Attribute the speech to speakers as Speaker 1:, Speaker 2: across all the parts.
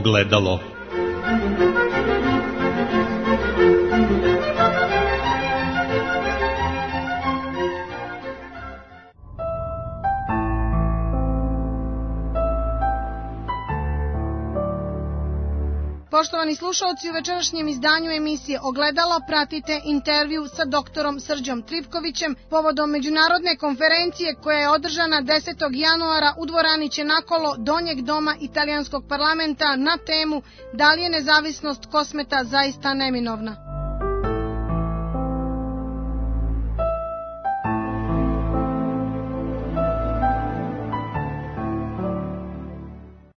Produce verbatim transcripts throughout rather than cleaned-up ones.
Speaker 1: Ogledalo.
Speaker 2: Poštovani slušalci, u večerašnjem izdanju emisije Ogledalo pratite intervju sa doktorom Srđom Trifkovićem povodom međunarodne konferencije koja je održana desetog januara u dvorani Čenakolo Donjeg doma italijanskog parlamenta na temu da li je nezavisnost Kosmeta zaista neminovna.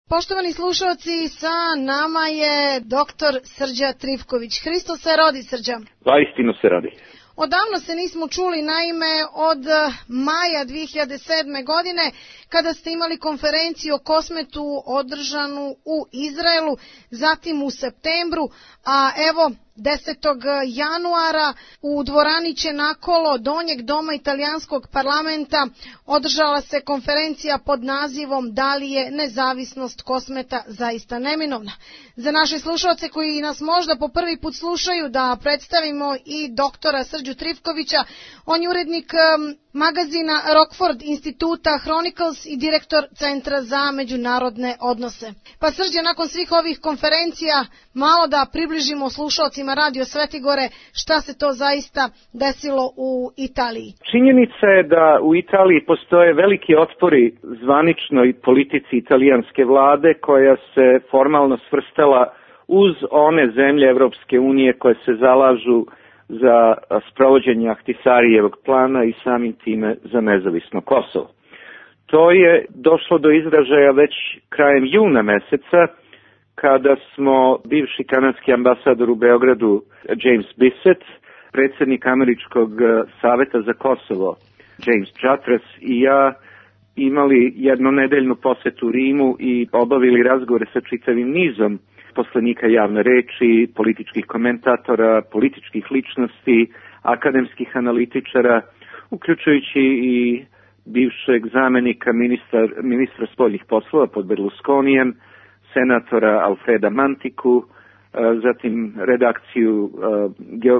Speaker 2: Poštovani slušalci, sa nama je doktor Srđa Trifković. Hristos se rodi, Srđa.
Speaker 3: Zaistinu se rodi.
Speaker 2: Odavno se nismo čuli, naime od maja dve hiljade sedme. godine, kada ste imali konferenciju o Kosmetu održanu u Izraelu, zatim u septembru, a evo desetog januara u dvorani Čenakolo Donjeg doma italijanskog parlamenta održala se konferencija pod nazivom Da li je nezavisnost Kosmeta zaista neminovna. Za naše slušalce koji nas možda po prvi put slušaju, da predstavimo i doktora Srđu Trifkovića. On je urednik magazina Rockford instituta Chronicles i direktor Centra za međunarodne odnose. Pa Srđe, nakon svih ovih konferencija, malo da približimo slušalcima Radio Svetigore šta se to zaista desilo u Italiji.
Speaker 3: Činjenica je da u Italiji postoje veliki otpori zvaničnoj politici italijanske vlade koja se formalno svrstala uz one zemlje Evropske unije koje se zalažu za sprovođenje Ahtisarijevog plana i samim time za nezavisno Kosovo. To je došlo do izražaja već krajem juna meseca, kada smo bivši kanadski ambasador u Beogradu James Bissett, predsjednik Američkog saveta za Kosovo James Chartres i ja imali jednonedeljnu posetu Rimu i obavili razgovore sa čitavim nizom poslanika javne reči, političkih komentatora, političkih ličnosti, akademskih analitičara, uključujući i bivšeg zamenika ministra, ministra spoljnih poslova pod Berlusconijem, senatora Alfreda Mantiku, zatim redakciju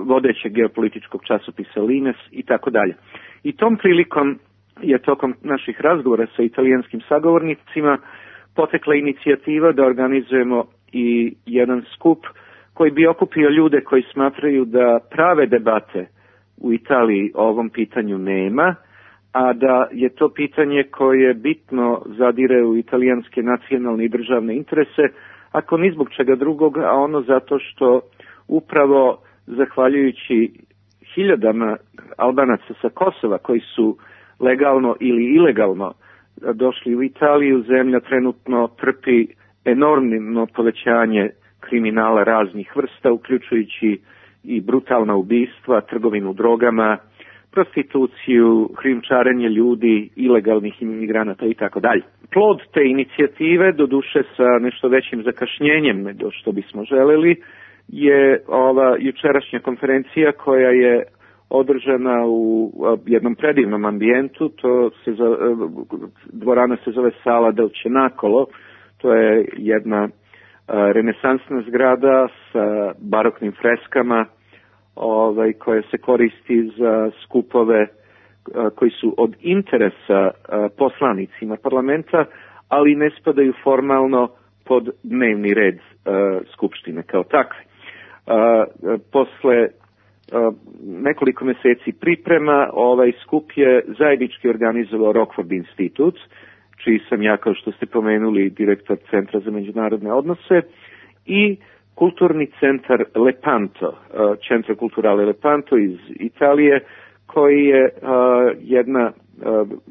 Speaker 3: vodećeg geopolitičkog časopisa Lines i tako dalje. I tom prilikom je tokom naših razgovora sa italijanskim sagovornicima potekla inicijativa da organizujemo i jedan skup koji bi okupio ljude koji smatraju da prave debate u Italiji o ovom pitanju nema, a da je to pitanje koje bitno zadire u italijanske nacionalne i državne interese, ako ni zbog čega drugog, a ono zato što upravo zahvaljujući hiljadama Albanaca sa Kosova koji su legalno ili ilegalno došli u Italiju, zemlja trenutno trpi enormno povećanje kriminala raznih vrsta, uključujući i brutalna ubistva, trgovinu drogama, prostituciju, krijumčarenje ljudi, ilegalnih imigranata i tako dalje. Plod te inicijative, doduše sa nešto većim zakašnjenjem nego što bismo želeli, je ova jučerašnja konferencija koja je održana u jednom predivnom ambijentu. To se zove, dvorana se zove Sala del Cenacolo. To je jedna renesansna zgrada sa baroknim freskama, ovaj, koja se koristi za skupove koji su od interesa poslanicima parlamenta, ali ne spadaju formalno pod dnevni red skupštine kao takve. Posle nekoliko meseci priprema, ovaj skup je zajednički organizovao Rockford institut, čiji sam ja, kao što ste pomenuli, direktor Centra za međunarodne odnose, i kulturni centar Lepanto, Centro Culturale Lepanto iz Italije, koji je jedna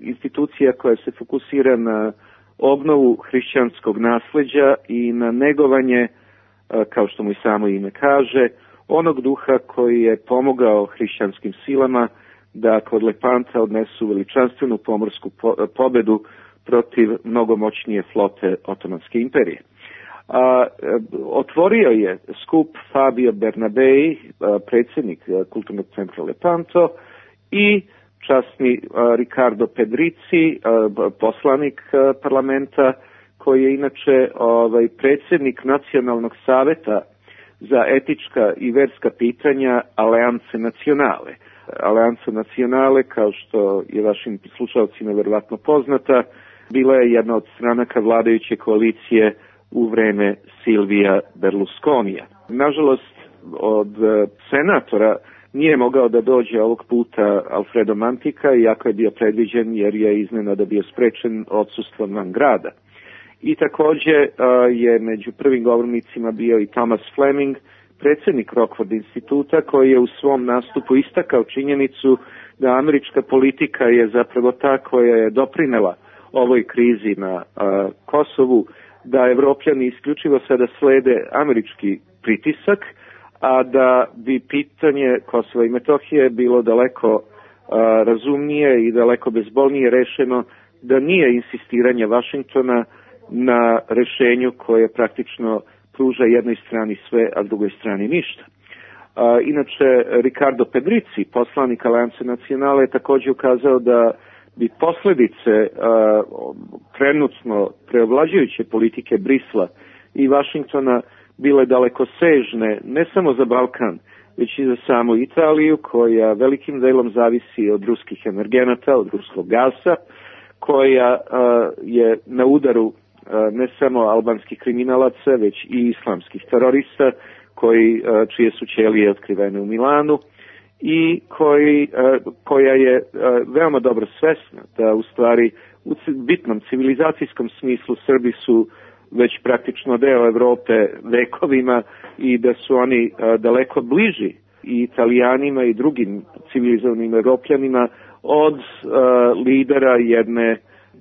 Speaker 3: institucija koja se fokusira na obnovu hrišćanskog nasleđa i na negovanje, kao što mu i samo ime kaže, onog duha koji je pomogao hrišćanskim silama da kod Lepanta odnesu veličanstvenu pomorsku pobedu protiv mnogo moćnije flote Otomanske imperije. A, otvorio je skup Fabio Bernabei, predsjednik Kulturnog centra Lepanto, i časni Riccardo Pedrizzi, poslanik parlamenta, koji je inače ovaj, predsjednik Nacionalnog saveta za etička i verska pitanja Alianse Nacionale. Aliansa Nacionale, kao što je vašim slušalcima verovatno poznata, bila je jedna od stranaka vladajuće koalicije u vreme Silvija Berlusconija. Nažalost, od senatora nije mogao da dođe ovog puta Alfredo Mantica, iako je bio predviđen jer je iznenada bio sprečen odsustvom van grada. I također je među prvim govornicima bio i Thomas Fleming, predsjednik Rockford instituta, koji je u svom nastupu istakao činjenicu da američka politika je zapravo ta koja je doprinela ovoj krizi na a, Kosovu, da Evropljani isključivo sada slede američki pritisak, a da bi pitanje Kosova i Metohije bilo daleko a, razumnije i daleko bezbolnije rešeno da nije insistiranje Vašingtona na rešenju koje praktično pruža jednoj strani sve, a drugoj strani ništa. A, inače, Ricardo Pedrici, poslanik Alianse Nacionale, je također ukazao da bi posljedice a, trenutno preovlađujuće politike Brisla i Vašingtona bile daleko sežne, ne samo za Balkan, već i za samu Italiju, koja velikim delom zavisi od ruskih energenata, od ruskog gasa, koja a, je na udaru a, ne samo albanskih kriminalaca, već i islamskih terorista, koji, a, čije su ćelije otkrivene u Milanu, i koji, koja je veoma dobro svesna da u stvari u bitnom civilizacijskom smislu Srbi su već praktično deo Evrope vekovima i da su oni daleko bliži i Italijanima i drugim civilizovanim Evropljanima od lidera jedne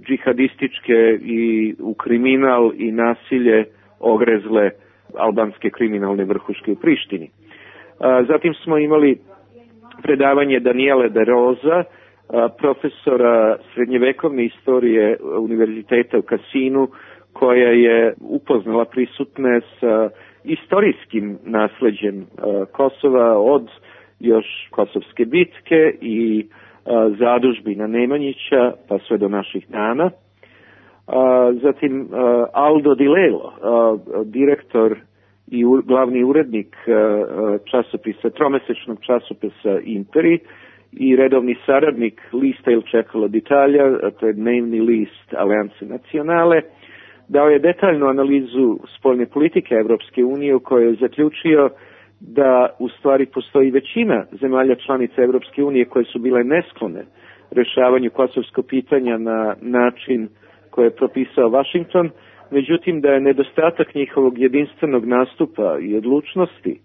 Speaker 3: džihadističke i u kriminal i nasilje ogrezle albanske kriminalne vrhuške u Prištini. Zatim smo imali predavanje Daniele De Rosa, profesora srednjevekovne istorije Univerziteta u Cassinu, koja je upoznala prisutne sa istorijskim nasleđem Kosova od još Kosovske bitke i zadužbina Nemanjića pa sve do naših dana. Zatim Aldo Di Lello, direktor i glavni urednik časopisa, tromesečnog časopisa Imperi i redovni saradnik lista Il Čekalo d'Italia, to je dnevni list Alianse Nacionale, dao je detaljnu analizu spoljne politike Evropske unije u kojoj je zaključio da u stvari postoji većina zemalja članica Evropske unije koje su bile nesklone rešavanju kosovskog pitanja na način koje je propisao Vašington, međutim da je nedostatak njihovog jedinstvenog nastupa i odlučnosti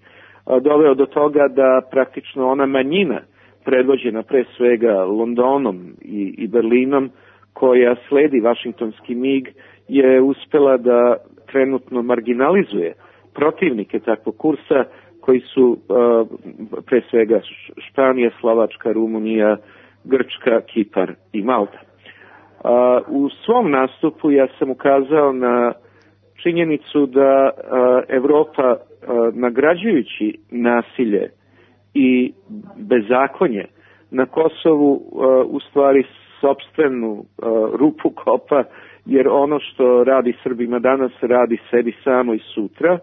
Speaker 3: doveo do toga da praktično ona manjina predvođena pre svega Londonom i, i Berlinom koja sledi vašingtonski mig je uspela da trenutno marginalizuje protivnike takvog kursa koji su uh, pre svega Španija, Slovačka, Rumunija, Grčka, Kipar i Malta. Uh, u svom nastupu ja sam ukazao na činjenicu da uh, Evropa uh, nagrađujući nasilje i bezakonje na Kosovu uh, u stvari sopstvenu uh, rupu kopa, jer ono što radi Srbima danas radi sebi samo i sutra,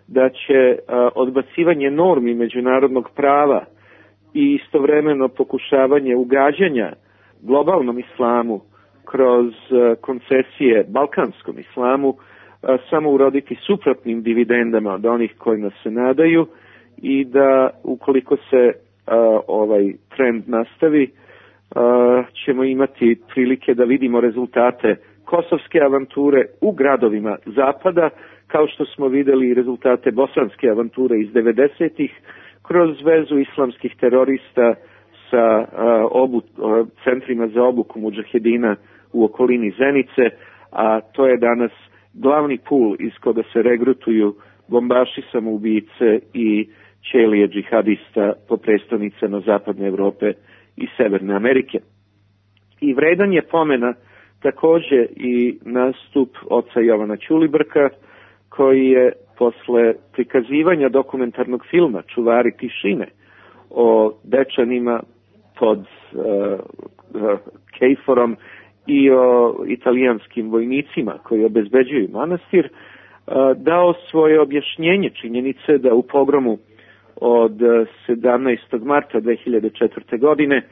Speaker 3: da će uh, odbacivanje normi međunarodnog prava i istovremeno pokušavanje ugađanja globalnom islamu kroz uh, koncesije balkanskom islamu uh, samo uroditi suprotnim dividendama od onih kojima se nadaju i da ukoliko se uh, ovaj trend nastavi uh, ćemo imati prilike da vidimo rezultate kosovske avanture u gradovima zapada, kao što smo videli rezultate bosanske avanture iz devedesetih kroz vezu islamskih terorista sa uh, obu, uh, centrima za obuku mudžahedina u okolini Zenice, a to je danas glavni pul iz koga se regrutuju bombaši, samoubice i ćelije džihadista po prestonicama Zapadne Evrope i Severne Amerike. I vredan je pomena također i nastup oca Jovana Ćulibrka, koji je posle prikazivanja dokumentarnog filma Čuvari tišine o Dečanima pod uh, uh, Kejforom i o italijanskim vojnicima koji obezbeđuju manastir, dao svoje objašnjenje činjenice da u pogromu od sedamnaestog marta dve hiljade četvrte. godine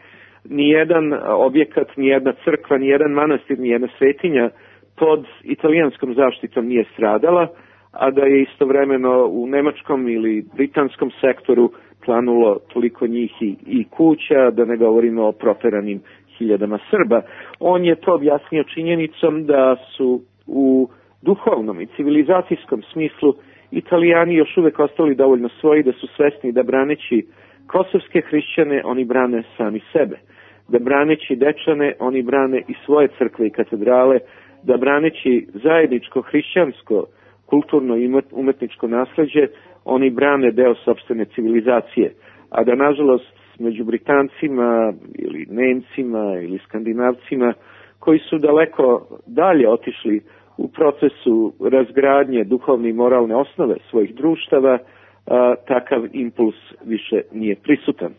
Speaker 3: nijedan objekat, nijedna crkva, nijedan manastir, nijedna svetinja pod italijanskom zaštitom nije stradala, a da je istovremeno u nemačkom ili britanskom sektoru planulo toliko njih i, i kuća, da ne govorimo o proteranim hiljadama Srba. On je to objasnio činjenicom da su u duhovnom i civilizacijskom smislu Italijani još uvek ostali dovoljno svoji, da su svesni da braneći kosovske hrišćane oni brane sami sebe, da braneći Dečane oni brane i svoje crkve i katedrale, da braneći zajedničko hrišćansko kulturno i umetničko nasleđe oni brane deo sopstvene civilizacije, a da nažalost među Britancima ili Nemcima ili Skandinavcima koji su daleko dalje otišli u procesu razgradnje duhovne i moralne osnove svojih društava, a, takav impuls više nije prisutan.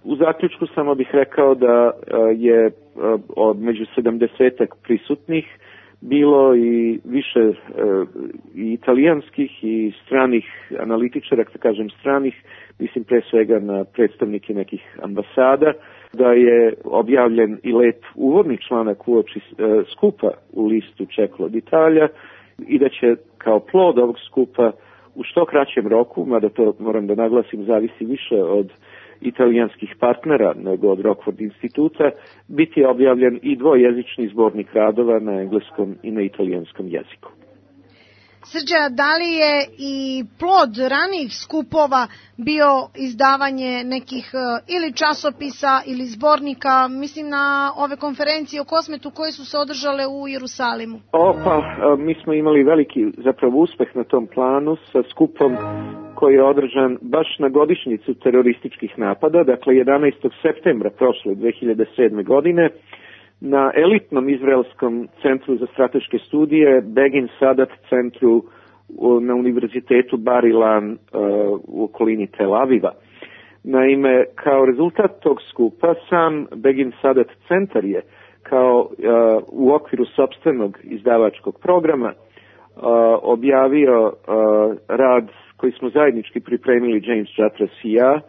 Speaker 3: U zaključku samo bih rekao da a, je a, od među sedamdesetak prisutnih bilo i više a, i italijanskih i stranih analitičara, da kažem stranih, mislim pre svega na predstavnike nekih ambasada, da je objavljen i lep uvodni članak uoči e, skupa u listu Čeklo od Italija i da će kao plod ovog skupa u što kraćem roku, mada to moram da naglasim zavisi više od italijanskih partnera nego od Rockford instituta, biti objavljen i dvojezični zbornik radova na engleskom i na italijanskom jeziku.
Speaker 2: Srđa, da li je i plod ranijih skupova bio izdavanje nekih ili časopisa ili zbornika, mislim na ove konferencije o Kosmetu koje su se održale u Jerusalimu?
Speaker 3: O, pa, mi smo imali veliki zapravo uspeh na tom planu sa skupom koji je održan baš na godišnjicu terorističkih napada, dakle jedanaestog septembra prošle dve hiljade sedme. godine, na elitnom izraelskom centru za strateške studije, Begin Sadat centru na univerzitetu Bar Ilan uh, u okolini Tel Aviva. Naime, kao rezultat tog skupa sam Begin Sadat centar je kao uh, u okviru sopstvenog izdavačkog programa uh, objavio uh, rad koji smo zajednički pripremili James Jatras i ja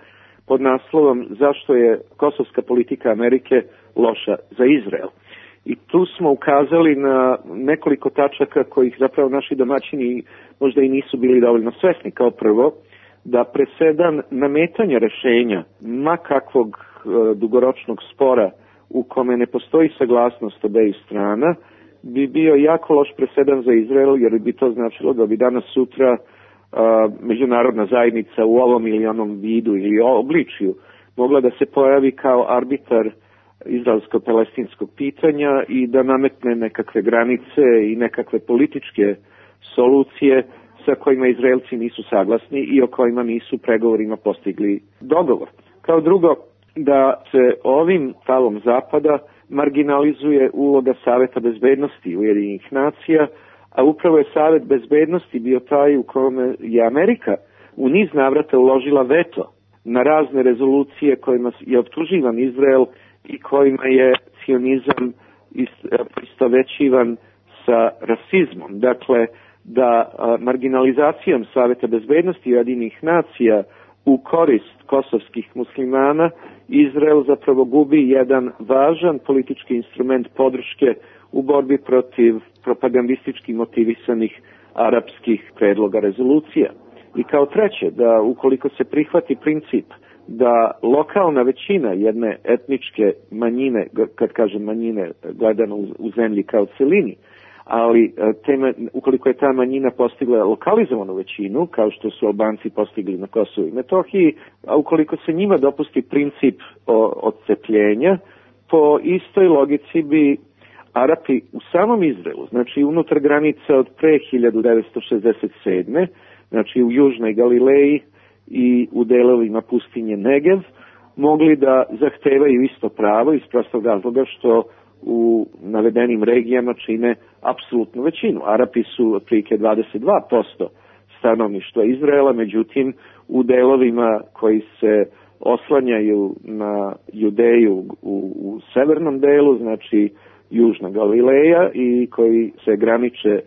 Speaker 3: pod naslovom Zašto je kosovska politika Amerike loša za Izrael. I tu smo ukazali na nekoliko tačaka kojih zapravo naši domaćini možda i nisu bili dovoljno svesni. Kao prvo, da presedan nametanja rešenja ma kakvog e, dugoročnog spora u kome ne postoji saglasnost obeju strana bi bio jako loš presedan za Izrael, jer bi to značilo da bi danas sutra a, međunarodna zajednica u ovom ili onom vidu ili obličju mogla da se pojavi kao arbitar izraelsko-palestinskog pitanja i da nametne nekakve granice i nekakve političke solucije sa kojima Izraelci nisu saglasni i o kojima nisu pregovorima postigli dogovor. Kao drugo, da se ovim stavom Zapada marginalizuje uloga Saveta bezbednosti Ujedinjenih nacija, a upravo je Savet bezbednosti bio taj u kome je Amerika u niz navrata uložila veto na razne rezolucije kojima je optuživan Izrael i kojima je sionizam istovećivan sa rasizmom. Dakle, da a, marginalizacijom Saveta bezbednosti Ujedinjenih nacija u korist kosovskih muslimana Izrael zapravo gubi jedan važan politički instrument podrške u borbi protiv propagandistički motivisanih arapskih predloga rezolucija. I kao treće, da ukoliko se prihvati princip da lokalna većina jedne etničke manjine, kad kažem manjine gledano u, u zemlji kao celini, ali tema, ukoliko je ta manjina postigla lokalizovanu većinu, kao što su Albanci postigli na Kosovu i Metohiji, a ukoliko se njima dopusti princip odcepljenja, po istoj logici bi Arapi u samom Izraelu, znači unutar granica od pre hiljadu devetsto šezdeset sedme. znači u južnoj Galileji i u delovima pustinje Negev, mogli da zahtevaju isto pravo iz prostog razloga što u navedenim regijama čine apsolutnu većinu. Arapi su otprilike dvadeset dva posto stanovništva Izraela, međutim u delovima koji se oslanjaju na Judeju u, u severnom delu, znači južna Galileja i koji se graniče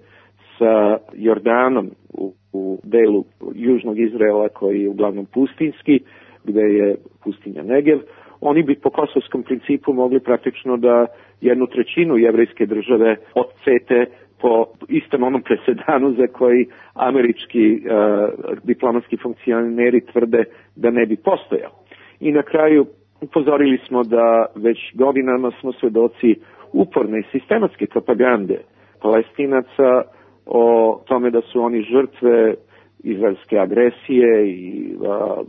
Speaker 3: sa Jordanom u, u delu južnog Izraela koji je uglavnom pustinski, gde je pustinja Negev. Oni bi po kosovskom principu mogli praktično da jednu trećinu jevrejske države odsete po istom onom presedanu za koji američki uh, diplomatski funkcioneri tvrde da ne bi postojao. I na kraju upozorili smo da već godinama smo svedoci uporne i sistematske propagande Palestinaca o tome da su oni žrtve izraelske agresije i a,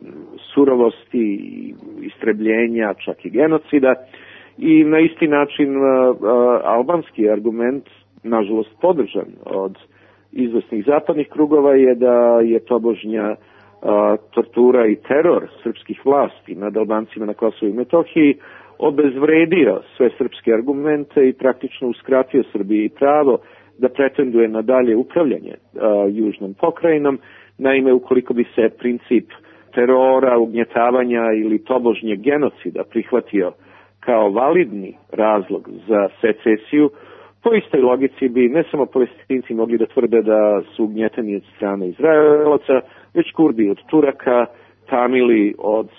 Speaker 3: surovosti i istrebljenja, čak i genocida. I na isti način a, a, albanski argument, nažalost podržan od izvesnih zapadnih krugova, je da je tobožnja a, tortura i teror srpskih vlasti nad Albancima na Kosovu i Metohiji obezvredio sve srpske argumente i praktično uskratio Srbiji pravo da pretenduje na dalje upravljanje a, južnom pokrajinom. Naime, ukoliko bi se princip terora, ugnjetavanja ili tobožnjeg genocida prihvatio kao validni razlog za secesiju, po istoj logici bi ne samo Palestinci mogli da tvrde da su ugnjeteni od strane Izraelaca, već Kurdi od Turaka, Tamili od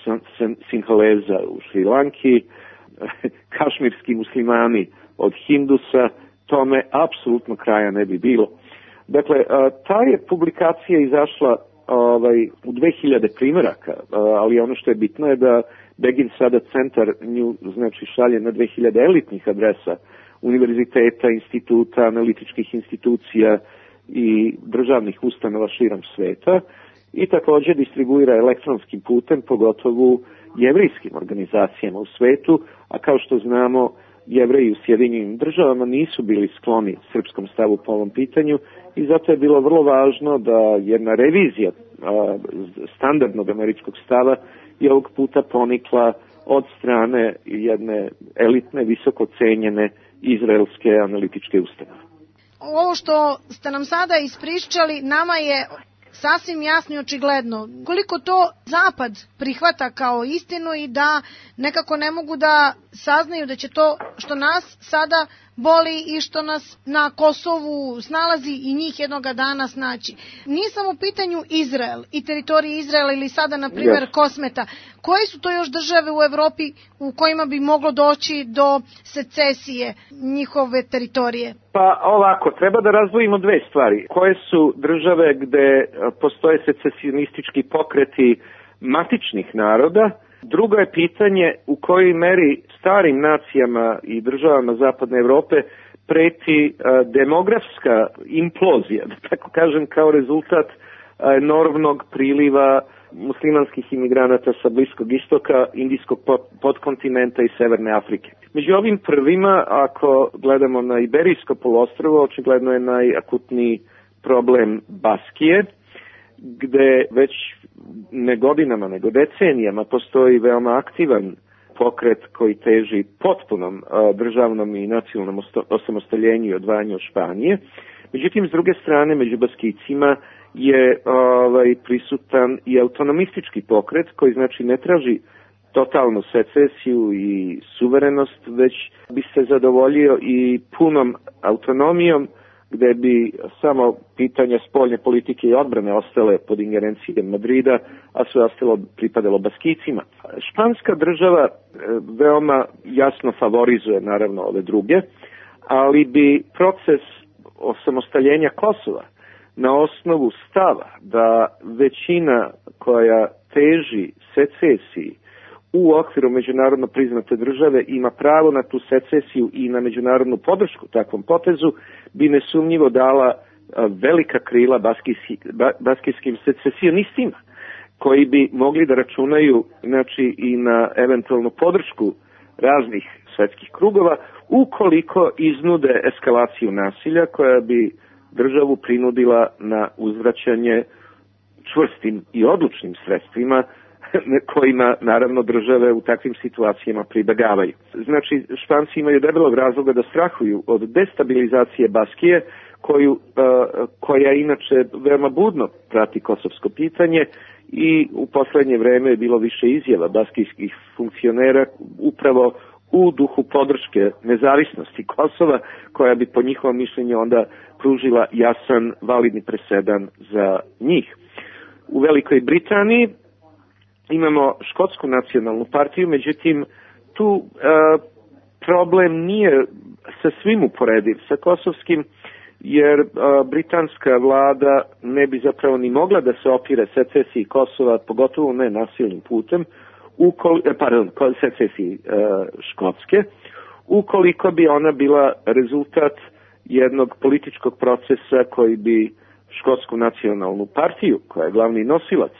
Speaker 3: Sinhaleza u Šrilanki, kašmirski muslimani od Hindusa, tome apsolutno kraja ne bi bilo. Dakle, ta je publikacija izašla ovaj, u dve hiljade primjeraka, ali ono što je bitno je da Begin sada centar nju znači šalje na dve hiljade elitnih adresa univerziteta, instituta, analitičkih institucija i državnih ustanova širom sveta i također distribuira elektronskim putem, pogotovo jevrijskim organizacijama u svetu, a kao što znamo, Jevreji u Sjedinjenim državama nisu bili skloni srpskom stavu po ovom pitanju i zato je bilo vrlo važno da jedna revizija a, standardnog američkog stava je ovog puta ponikla od strane jedne elitne, visoko cenjene izraelske analitičke ustanove.
Speaker 2: Ovo što ste nam sada ispričali, nama je sasvim jasno i očigledno koliko to Zapad prihvata kao istinu i da nekako ne mogu da saznaju da će to što nas sada boli i što nas na Kosovu snalazi i njih jednoga dana snaći. Nije samo u pitanju Izrael i teritorije Izraela ili sada, na primjer, yes. Kosmeta. Koje su to još države u Evropi u kojima bi moglo doći do secesije njihove teritorije?
Speaker 3: Pa ovako, treba da razdvojimo dve stvari. Koje su države gde postoje secesionistički pokreti matičnih naroda? Drugo je pitanje u kojoj meri starim nacijama i državama Zapadne Evrope preti uh, demografska implozija, da tako kažem, kao rezultat uh, enormnog priliva muslimanskih imigranata sa Bliskog istoka, Indijskog podkontinenta i Severne Afrike. Među ovim prvima, ako gledamo na Iberijsko poluostrvo, očigledno je najakutniji problem Baskije, gde već ne godinama, nego decenijama postoji veoma aktivan pokret koji teži potpunom uh, državnom i nacionalnom osamostaljenju i odvajanju od Španije. Međutim, s druge strane, među Baskicima je ovaj, prisutan i autonomistički pokret koji znači ne traži totalnu secesiju i suverenost, već bi se zadovoljio i punom autonomijom, gde bi samo pitanja spoljne politike i odbrane ostale pod ingerencijom Madrida, a sve ostalo pripadalo Baskicima. Španska država veoma jasno favorizuje naravno ove druge, ali bi proces osamostaljenja Kosova na osnovu stava da većina koja teži secesiji u okviru međunarodno priznate države ima pravo na tu secesiju i na međunarodnu podršku takvom potezu, bi nesumnjivo dala velika krila baskijski, baskijskim secesionistima, koji bi mogli da računaju znači, i na eventualnu podršku raznih svetskih krugova, ukoliko iznude eskalaciju nasilja koja bi državu prinudila na uzvraćanje čvrstim i odlučnim sredstvima kojima naravno države u takvim situacijama pribegavaju. Znači, Španci imaju debelog razloga da strahuju od destabilizacije Baskije, koju, uh, koja inače veoma budno prati kosovsko pitanje i u poslednje vreme je bilo više izjava baskijskih funkcionera upravo u duhu podrške nezavisnosti Kosova, koja bi po njihovom mišljenju onda pružila jasan, validni presedan za njih. U Velikoj Britaniji imamo Škotsku nacionalnu partiju, međutim tu e, problem nije sa svim uporediv sa kosovskim, jer a, britanska vlada ne bi zapravo ni mogla da se opire secesiji Kosova, pogotovo ne nasilnim putem, ukoli, pardon, secesiji a, Škotske, ukoliko bi ona bila rezultat jednog političkog procesa koji bi Škotsku nacionalnu partiju, koja je glavni nosilac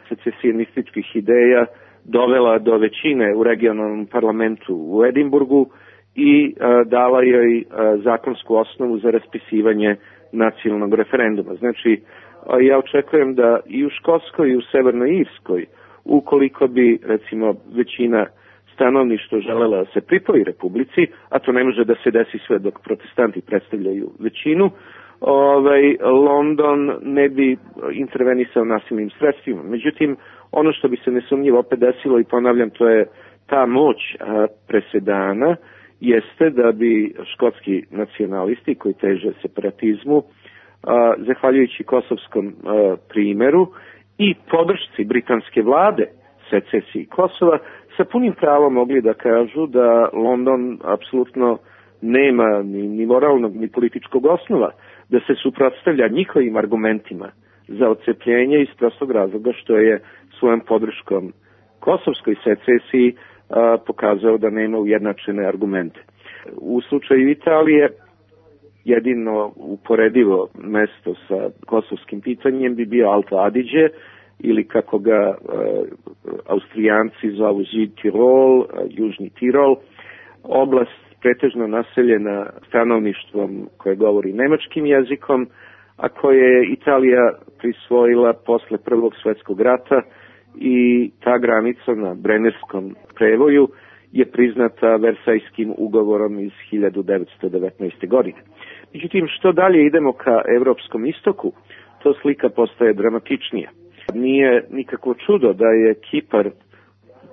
Speaker 3: secesionističkih ideja, dovela do većine u regionalnom parlamentu u Edinburgu i a, dala joj a, zakonsku osnovu za raspisivanje nacionalnog referenduma. Znači, a, ja očekujem da i u Škotskoj i u Severnoj Irskoj, ukoliko bi, recimo, većina stanovništva želela da se pripoji Republici, a to ne može da se desi sve dok protestanti predstavljaju većinu, ovaj, London ne bi intervenisao nasilnim sredstvima. Međutim, ono što bi se nesumnjivo opet desilo, i ponavljam, to je ta moć a, presedana, jeste da bi škotski nacionalisti koji teže separatizmu, a, zahvaljujući kosovskom a, primeru i podršci britanske vlade secesiji Kosova, sa punim pravom mogli da kažu da London apsolutno nema ni, ni moralnog ni političkog osnova da se suprotstavlja njihovim argumentima za odcepljenje iz prostog razloga što je svojom podrškom kosovskoj secesiji a, pokazao da nema ujednačene argumente. U slučaju Italije jedino uporedivo mesto sa kosovskim pitanjem bi bio Alto Adige, ili kako ga a, Austrijanci zovu Südtirol, Južni Tirol, oblast pretežno naseljena stanovništvom koje govori nemačkim jezikom, a koje je Italija prisvojila posle Prvog svjetskog rata, i ta granica na Brennerskom prevoju je priznata Versajskim ugovorom iz hiljadu devetsto devetnaeste. godine. Međutim, što dalje idemo ka evropskom istoku, to slika postaje dramatičnija. Nije nikakvo čudo da je Kipar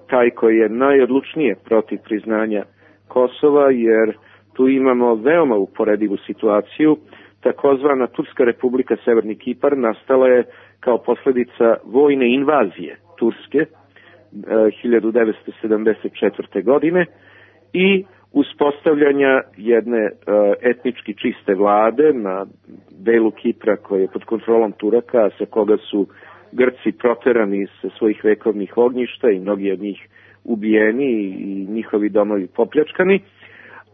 Speaker 3: taj koji je najodlučnije protiv priznanja Kosova, jer tu imamo veoma uporedivu situaciju. Takozvana Turska republika Severni Kipar nastala je kao posljedica vojne invazije Turske e, hiljadu devetsto sedamdeset četvrte. godine i uspostavljanja jedne e, etnički čiste vlade na delu Kipra koji je pod kontrolom Turaka, sa koga su Grci proterani sa svojih vekovnih ognjišta i mnogi od njih ubijeni i njihovi domovi popljačkani,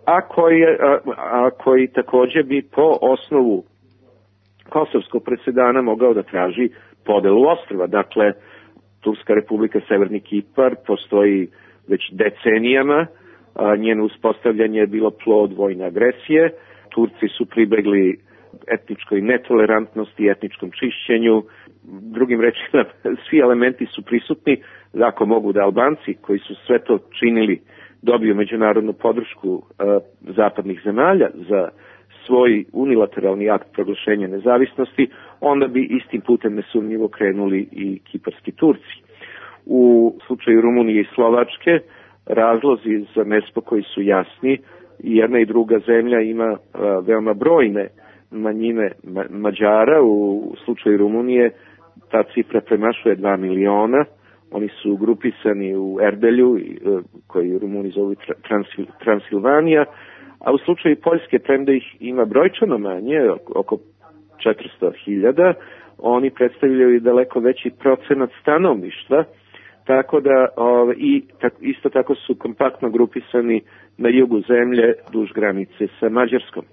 Speaker 3: a koji, a, a koji također bi po osnovu kosovskog presedana mogao da traži podelu ostrva. Dakle, Turska republika Severni Kipar postoji već decenijama, a njeno uspostavljanje je bilo plod vojne agresije. Turci su pribegli etničkoj netolerantnosti i etničkom čišćenju. Drugim rečima, svi elementi su prisutni, ako mogu da Albanci, koji su sve to činili, dobiju međunarodnu podršku uh, zapadnih zemalja za svoj unilateralni akt proglašenja nezavisnosti, onda bi istim putem nesumnjivo krenuli i kiparski Turci. U slučaju Rumunije i Slovačke razlozi za nespokoj su jasni, i jedna i druga zemlja ima uh, veoma brojne manjine ma- Mađara. U slučaju Rumunije ta cifra premašuje dva miliona. Oni su grupisani u Erdelju, koji Rumuni zovu Transil, Transilvanija, a u slučaju Poljske, premda ih ima brojčano manje, oko četiristo hiljada, oni predstavljaju daleko veći procenat stanovništva, tako da o, i tak, isto tako su kompaktno grupisani na jugu zemlje duž granice sa Mađarskom.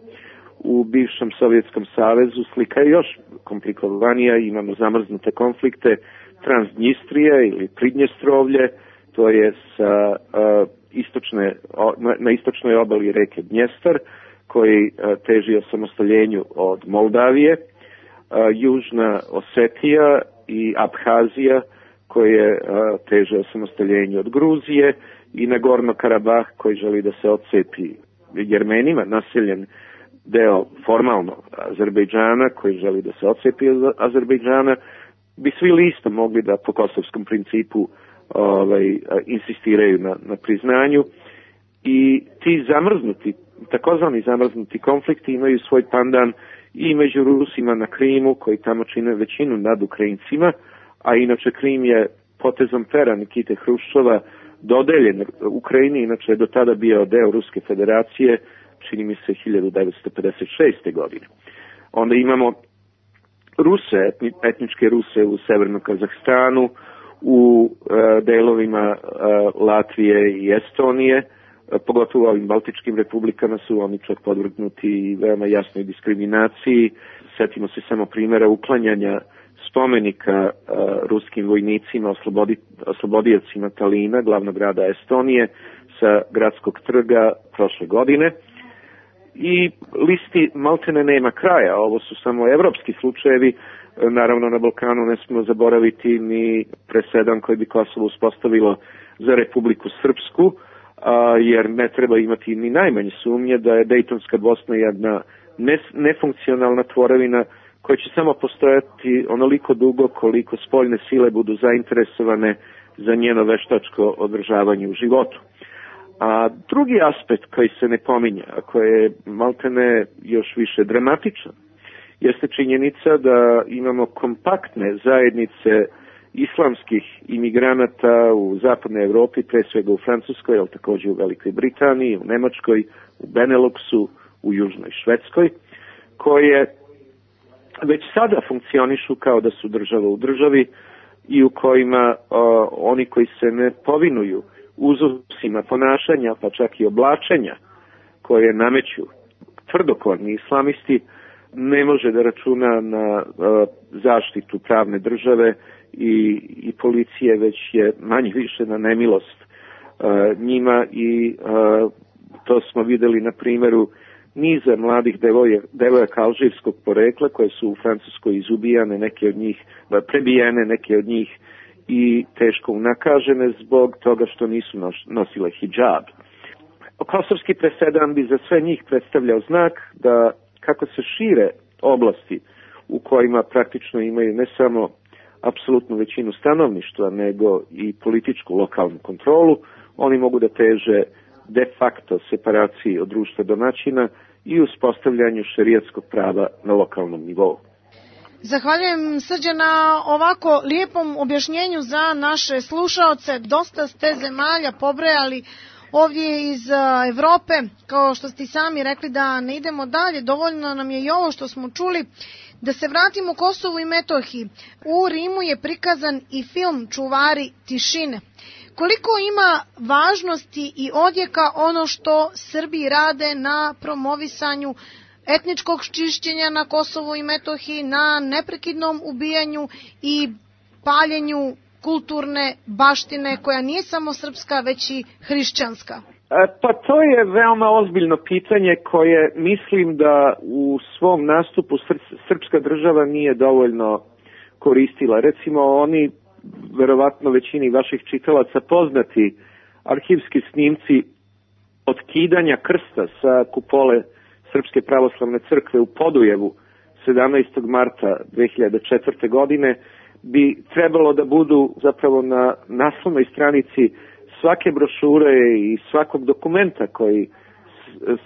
Speaker 3: U bivšem Sovjetskom savezu slika je još komplikovanija, imamo zamrznute konflikte Transnjistrije ili Pridnjestrovlje, to je sa uh, istočne, o, na, na istočnoj obali reke Dnjestar, koji uh, teži osamostaljenju od Moldavije, uh, Južna Osetija i Abhazija, koje uh, teže osamostaljenju od Gruzije, i Nagorno Karabah, koji želi da se odcepi Jermenima, naseljen deo formalno Azerbejdžana, koji želi da se odcepi od Azerbejdžana, bi svi listo mogli da po kosovskom principu ovaj, insistiraju na, na priznanju. i ti zamrznuti, takozvani zamrznuti konflikti imaju svoj pandan i među Rusima na Krimu, koji tamo čine većinu nad Ukrajincima, a inače Krim je potezom pera Nikite Hruščova dodeljen Ukrajini, inače je do tada bio deo Ruske federacije, čini mi se hiljadu devetsto pedeset šeste. godine. Onda imamo Ruse, etničke Ruse u severnom Kazahstanu, u e, delovima e, Latvije i Estonije, e, pogotovo u ovim baltičkim republikama su oni čak podvrgnuti veoma jasnoj diskriminaciji. Sjetimo se samo primjera uklanjanja spomenika e, ruskim vojnicima, oslobodi, oslobodiocima Talina, glavnog grada Estonije, sa gradskog trga prošle godine. I listi maltene nema kraja, ovo su samo evropski slučajevi, naravno na Balkanu ne smemo zaboraviti ni presedan koji bi Kosovo uspostavilo za Republiku Srpsku, a, jer ne treba imati ni najmanje sumnje da je Dejtonska Bosna jedna nefunkcionalna tvorevina koja će samo postojati onoliko dugo koliko spoljne sile budu zainteresovane za njeno veštačko održavanje u životu. A drugi aspekt koji se ne pominja, a koji je maltene još više dramatičan, jeste činjenica da imamo kompaktne zajednice islamskih imigranata u zapadnoj Evropi, pre svega u Francuskoj, ali također u Velikoj Britaniji, u Nemačkoj, u Beneluxu, u Južnoj Švedskoj, koje već sada funkcionišu kao da su država u državi i u kojima o, oni koji se ne povinuju uzusima ponašanja, pa čak i oblačenja koje nameću tvrdokorni islamisti, ne može da računa na uh, zaštitu pravne države i, i policije, već je manje više na nemilost uh, njima i uh, to smo videli na primjeru niza mladih devoje, devojaka alžirskog porekla koje su u Francuskoj izubijane, neke od njih prebijene, neke od njih i teško unakažene zbog toga što nisu nosile hidžab. Kosovski presedan bi za sve njih predstavljao znak da kako se šire oblasti u kojima praktično imaju ne samo apsolutnu većinu stanovništva, nego i političku lokalnu kontrolu, oni mogu da teže de facto separaciji od društva domaćina i uspostavljanju šerijatskog prava na lokalnom nivou.
Speaker 2: Zahvaljujem, Srđe, na ovako lijepom objašnjenju za naše slušaoce. Dosta ste zemalja pobrojali ovdje iz Evrope, kao što ste sami rekli da ne idemo dalje, dovoljno nam je i ovo što smo čuli. Da se vratimo Kosovu i Metohiji. U Rimu je prikazan i film Čuvari tišine. Koliko ima važnosti i odjeka ono što Srbi rade na promovisanju etničkog čišćenja na Kosovu i Metohiji, na neprekidnom ubijanju i paljenju kulturne baštine koja nije samo srpska, već i hrišćanska?
Speaker 3: Pa to je veoma ozbiljno pitanje koje mislim da u svom nastupu srpska država nije dovoljno koristila. Recimo, oni, verovatno većini vaših čitalaca poznati arhivski snimci otkidanja krsta sa kupole Srpske pravoslavne crkve u Podujevu sedamnaestog marta dve hiljade četvrte. godine bi trebalo da budu zapravo na naslovnoj stranici svake brošure i svakog dokumenta koji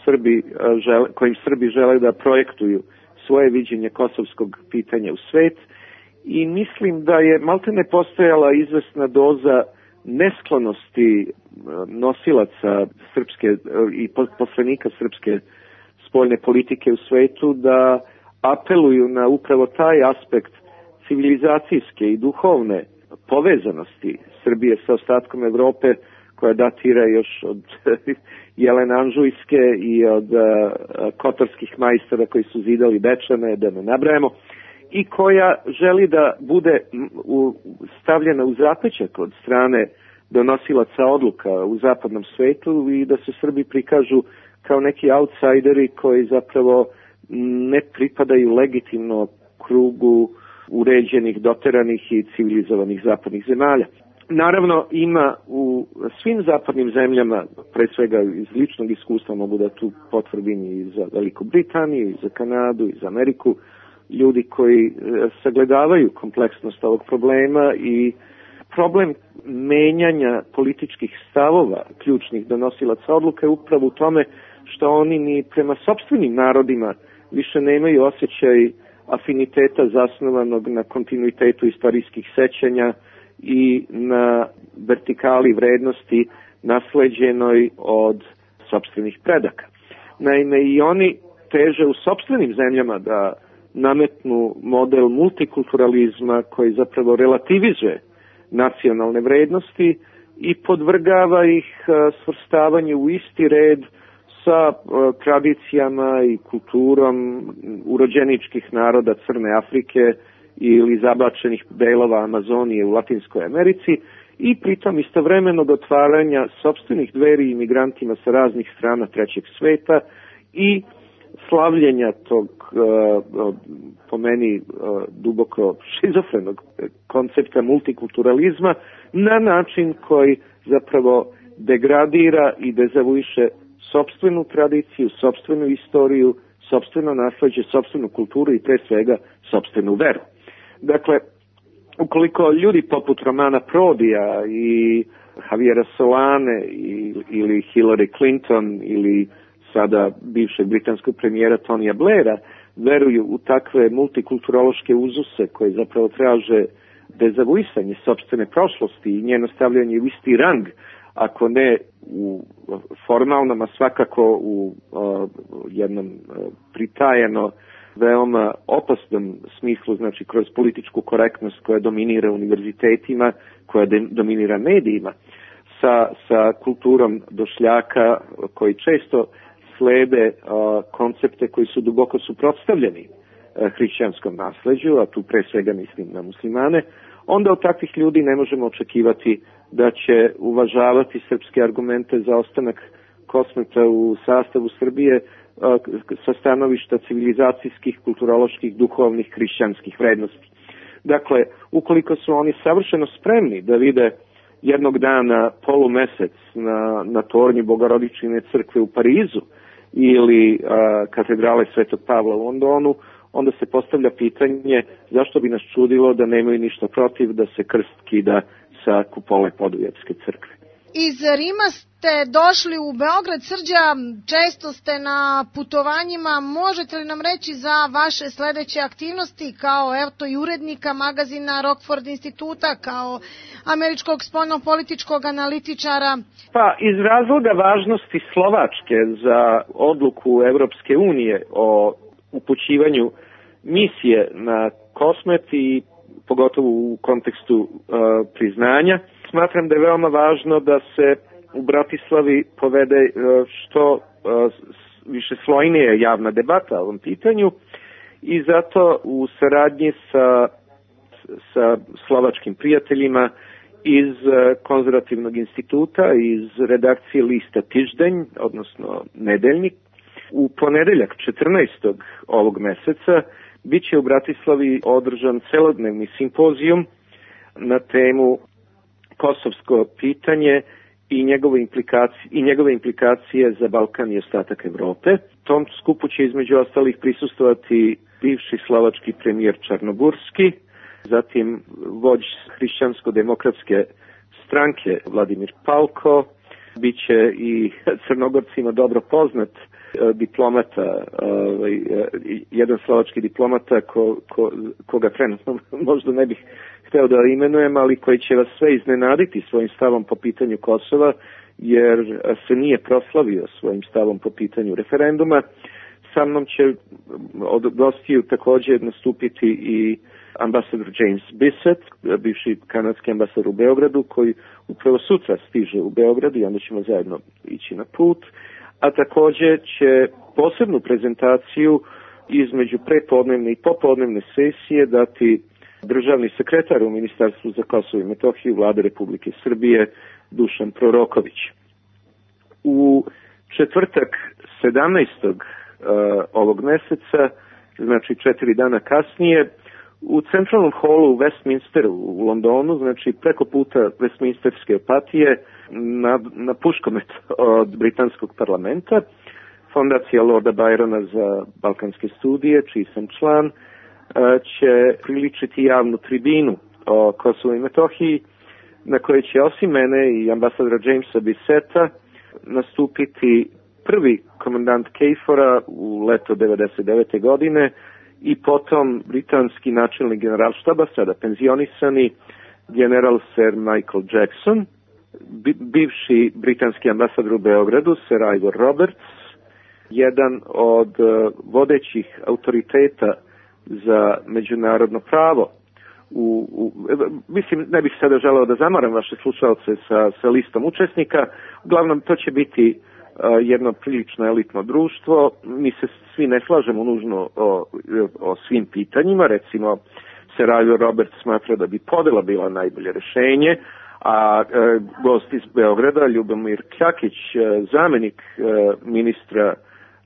Speaker 3: Srbi žele, kojim Srbi žele da projektuju svoje viđenje kosovskog pitanja u svet. I mislim da je maltene postojala izvesna doza nesklonosti nosilaca srpske i poslanika srpske spoljne politike u svetu da apeluju na upravo taj aspekt civilizacijske i duhovne povezanosti Srbije sa ostatkom Evrope, koja datira još od Jelene Anžujske i od uh, kotorskih majstora koji su zidali Dečane, da ne nabrajamo, i koja želi da bude u, stavljena u zapećak od strane donosilaca odluka u zapadnom svetu i da se Srbi prikažu kao neki outsideri koji zapravo ne pripadaju legitimno krugu uređenih, doteranih i civilizovanih zapadnih zemalja. Naravno, ima u svim zapadnim zemljama, pre svega iz ličnog iskustva mogu da tu potvrdim i za Veliku Britaniju, i za Kanadu, i za Ameriku, ljudi koji sagledavaju kompleksnost ovog problema i problem menjanja političkih stavova ključnih donosilaca odluke upravo u tome što oni ni prema sopstvenim narodima više nemaju osjećaj afiniteta zasnovanog na kontinuitetu istorijskih sećanja i na vertikali vrednosti nasleđenoj od sopstvenih predaka. Naime, i oni teže u sopstvenim zemljama da nametnu model multikulturalizma koji zapravo relativizuje nacionalne vrednosti i podvrgava ih svrstavanju u isti red sa tradicijama i kulturom urođeničkih naroda Crne Afrike ili zablačenih delova Amazonije u Latinskoj Americi i pritom istovremenog otvaranja sopstvenih dveri imigrantima sa raznih strana trećeg sveta i slavljenja tog, po meni, duboko šizofrenog koncepta multikulturalizma na način koji zapravo degradira i dezavuiše sopstvenu tradiciju, sopstvenu istoriju, sopstveno nasleđe, sopstvenu kulturu i pre svega sopstvenu veru. Dakle, ukoliko ljudi poput Romana Prodija i Javiera Solane ili Hillary Clinton ili sada bivšeg britanskog premijera Tonija Blaira veruju u takve multikulturološke uzuse koje zapravo traže dezavuisanje sopstvene prošlosti i njeno stavljanje u isti rang, ako ne u formalnom, a svakako u uh, jednom uh, pritajeno veoma opasnom smislu, znači kroz političku korektnost koja dominira univerzitetima, koja de, dominira medijima, sa, sa kulturom došljaka koji često slede uh, koncepte koji su duboko suprotstavljeni uh, hrišćanskom nasleđu, a tu pre svega mislim na muslimane, onda od takvih ljudi ne možemo očekivati da će uvažavati srpske argumente za ostanak Kosmeta u sastavu Srbije sa stanovišta civilizacijskih, kulturoloških, duhovnih, hrišćanskih vrednosti. Dakle, ukoliko su oni savršeno spremni da vide jednog dana polumesec na, na tornju Bogorodičine crkve u Parizu ili a, katedrale Svetog Pavla u Londonu, onda se postavlja pitanje zašto bi nas čudilo da nemaju ništa protiv da se krst kida sa kupole Podujevske crkve.
Speaker 2: Iz Rima ste došli u Beograd, Srđa, često ste na putovanjima. Možete li nam reći za vaše sledeće aktivnosti kao eto i urednika magazina Rockford instituta, kao američkog spoljnopolitičkog analitičara?
Speaker 3: Pa iz razloga važnosti Slovačke za odluku Evropske unije o upućivanju misije na Kosmet i pogotovo u kontekstu uh, priznanja, smatram da je veoma važno da se u Bratislavi povede uh, što uh, više slojnija javna debata o ovom pitanju i zato u saradnji sa, sa slovačkim prijateljima iz Konzervativnog instituta, iz redakcije lista Tiždenj, odnosno Nedeljnik, u ponedeljak četrnaestog ovog meseca biće u Bratislavi održan celodnevni simpozijum na temu kosovsko pitanje i njegove implikacije, i njegove implikacije za Balkan i ostatak Evrope. Tom skupu će između ostalih prisustvovati bivši slovački premijer Čarnogurski, zatim vođ hrišćansko-demokratske stranke Vladimir Palko, biće i Crnogorcima dobro poznat diplomata, ovaj, jedan slovački diplomata ko, ko, koga trenutno možda ne bih hteo da imenujem, ali koji će vas sve iznenaditi svojim stavom po pitanju Kosova, jer se nije proslavio svojim stavom po pitanju referenduma. Sa mnom će od gostiju također nastupiti i ambasador James Bissett, bivši kanadski ambasador u Beogradu, koji upravo sutra stiže u Beograd i onda ćemo zajedno ići na put. A također će posebnu prezentaciju između prepodnevne i popodnevne sesije dati državni sekretar u Ministarstvu za Kosovo i Metohiju Vlade Republike Srbije Dušan Proroković. U četvrtak sedamnaestog Uh, ovog meseca, znači četiri dana kasnije, u centralnom holu u Westminsteru u Londonu, znači preko puta Westminsterske apatije na, na puškomet od britanskog parlamenta, Fondacija Lorda Byrona za balkanske studije, čiji sam član, uh, će priličiti javnu tribinu o Kosovu i Metohiji na kojoj će osim mene i ambasadora Jamesa Bissetta nastupiti prvi komandant KFOR-a u leto devedeset devete. godine i potom britanski načelnik generalštaba, sada penzionisani general Sir Michael Jackson, bivši britanski ambasador u Beogradu, Sir Ivor Roberts, jedan od vodećih autoriteta za međunarodno pravo. U, u, mislim, ne bih sada želeo da zamaram vaše slušalce sa, sa listom učesnika. Uglavnom, to će biti uh, jedno prilično elitno društvo. Mi se svi ne slažemo nužno o, o svim pitanjima. Recimo, Sir Ivor Roberts smatra da bi podela bila najbolje rešenje, a uh, gost iz Beograda, Ljubomir Kjakić, uh, zamenik uh, ministra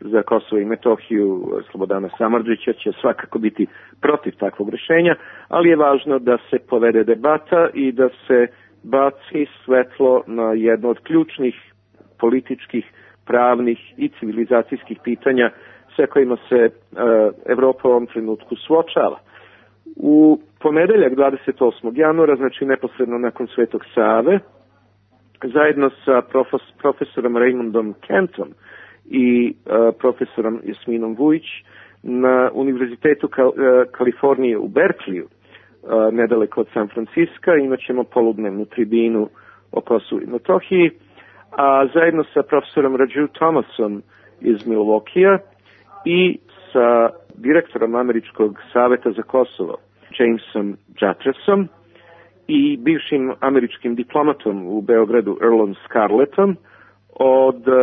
Speaker 3: za Kosovo i Metohiju Slobodana Samardžića, će svakako biti protiv takvog rešenja, ali je važno da se povede debata i da se baci svetlo na jedno od ključnih političkih, pravnih i civilizacijskih pitanja sa kojima se uh, Evropa u ovom trenutku suočava. U ponedeljak dvadeset osmog januara, znači neposredno nakon Svetog Save, zajedno sa profes, profesorom Raymondom Kentom i uh, profesorom Jasminom Vujić na Univerzitetu Kal- uh, Kalifornije u Berkeleyu, uh, nedaleko od San Franciska, imat ćemo poludnevnu tribinu o Kosovu i Metohiji, a zajedno sa profesorom Raju Thomasom iz Milwaukeea i sa direktorom Američkog saveta za Kosovo, Jamesom Jatresom, i bivšim američkim diplomatom u Beogradu, Earlom Scarlettom, od uh,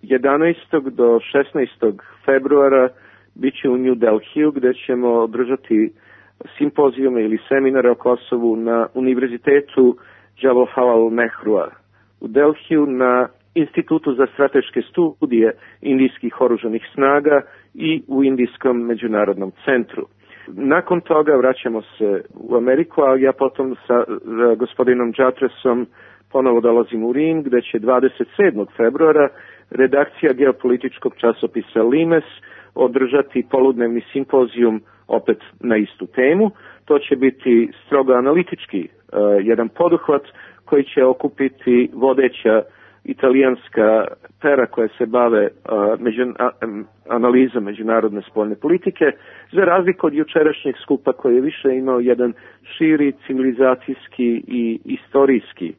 Speaker 3: jedanaestog do šesnaestog februara bit će u New Delhiju, gde ćemo održati simpozijume ili seminare o Kosovu na Univerzitetu Jawaharlal Nehrua u Delhiju, na Institutu za strateške studije indijskih oružanih snaga i u Indijskom međunarodnom centru. Nakon toga vraćamo se u Ameriku, a ja potom sa gospodinom Jatresom ponovo dolazim u Rim, gde će dvadeset sedmog februara redakcija geopolitičkog časopisa Limes održati poludnevni simpozijum opet na istu temu. To će biti strogo analitički uh, jedan poduhvat koji će okupiti vodeća italijanska pera koja se bave uh, među, a, analizom međunarodne spoljne politike, za razliku od jučerašnjeg skupa koji je više imao jedan širi civilizacijski i istorijski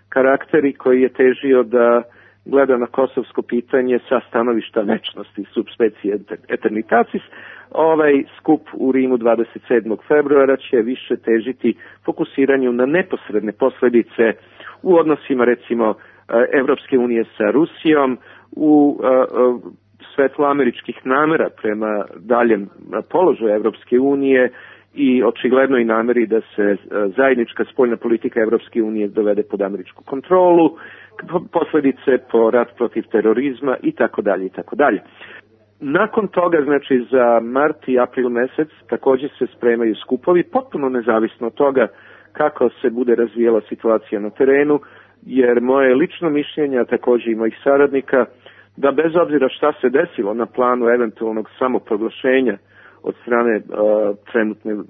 Speaker 3: karakter i koji je težio da gleda na kosovsko pitanje sa stanovišta večnosti, subspecie eternitatis. Ovaj skup u Rimu dvadeset sedmog februara će više težiti fokusiranju na neposredne posledice u odnosima, recimo, Evropske unije sa Rusijom, u svetlu američkih namera prema daljem položaju Evropske unije i očiglednoj nameri da se zajednička spoljna politika Evropske unije dovede pod američku kontrolu, posledice po rat protiv terorizma i tako dalje i tako dalje. Nakon toga, znači za mart i april mesec, također se spremaju skupovi, potpuno nezavisno od toga kako se bude razvijela situacija na terenu, jer moje lično mišljenje, a također i mojih saradnika, da bez obzira šta se desilo na planu eventualnog samoproglašenja od strane uh, trenutne, uh,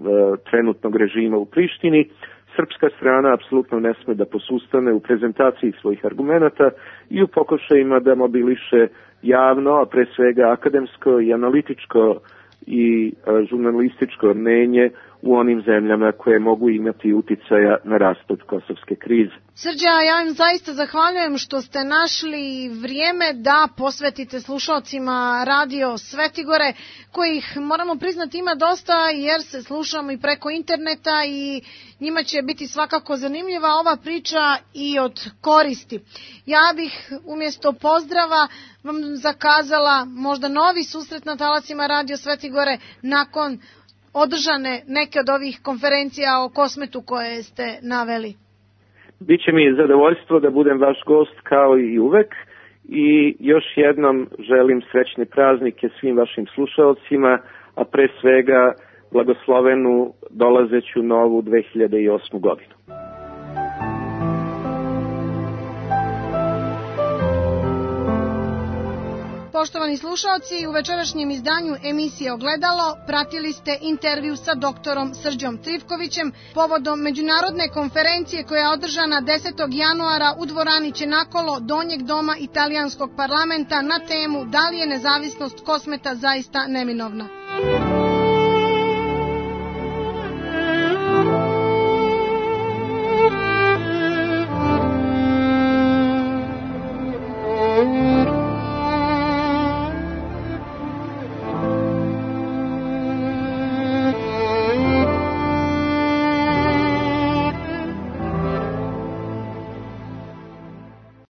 Speaker 3: trenutnog režima u Prištini, srpska strana apsolutno ne sme da posustane u prezentaciji svojih argumenata i u pokušajima da mobiliše javno, a pre svega akademsko i analitičko i uh, žurnalističko mnenje u onim zemljama koje mogu imati uticaja na raspad kosovske krize.
Speaker 2: Srđa, ja vam zaista zahvaljujem što ste našli vrijeme da posvetite slušalcima Radio Svetigore, kojih, moramo priznati, ima dosta jer se slušamo i preko interneta i njima će biti svakako zanimljiva ova priča i od koristi. Ja bih umjesto pozdrava vam zakazala možda novi susret na talasima Radio Svetigore nakon održane neke od ovih konferencija o Kosmetu koje ste naveli.
Speaker 3: Biće mi zadovoljstvo da budem vaš gost kao i uvek i još jednom želim srećne praznike svim vašim slušalcima, a pre svega blagoslovenu dolazeću novu dve hiljade osmu godinu.
Speaker 2: poštovani slušaoci, u večerašnjem izdanju emisije Ogledalo pratili ste intervju sa doktorom Srđom Trivkovićem povodom međunarodne konferencije koja je održana desetog januara u dvorani Čenakolo Donjeg doma italijanskog parlamenta na temu da li je nezavisnost Kosmeta zaista neminovna.